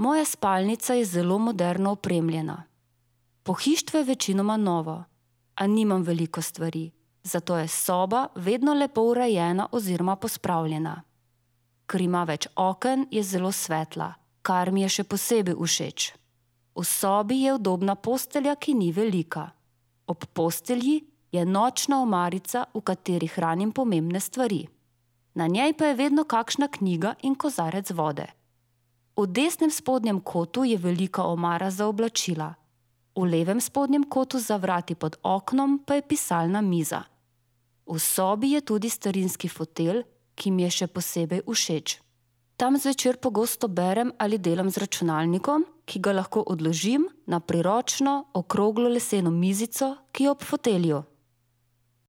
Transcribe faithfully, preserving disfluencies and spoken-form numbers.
Moja spalnica je zelo moderno opremljena. Pohištvo je večinoma novo, a nimam veliko stvari, zato je soba vedno lepo urejena oziroma pospravljena. Ker ima več oken, je zelo svetla, kar mi je še posebej všeč. V sobi je udobna postelja, ki ni velika. Ob postelji je nočna omarica, v kateri hranim pomembne stvari. Na njej pa je vedno kakšna knjiga in kozarec vode. V desnem spodnjem kotu je velika omara za oblačila. V levem spodnjem kotu za vrati pod oknom pa je pisalna miza. V sobi je tudi starinski fotelj, ki mi je še posebej všeč. Tam zvečer pogosto berem ali delam z računalnikom, ki ga lahko odložim na priročno, okroglo leseno mizico, ki je ob fotelju.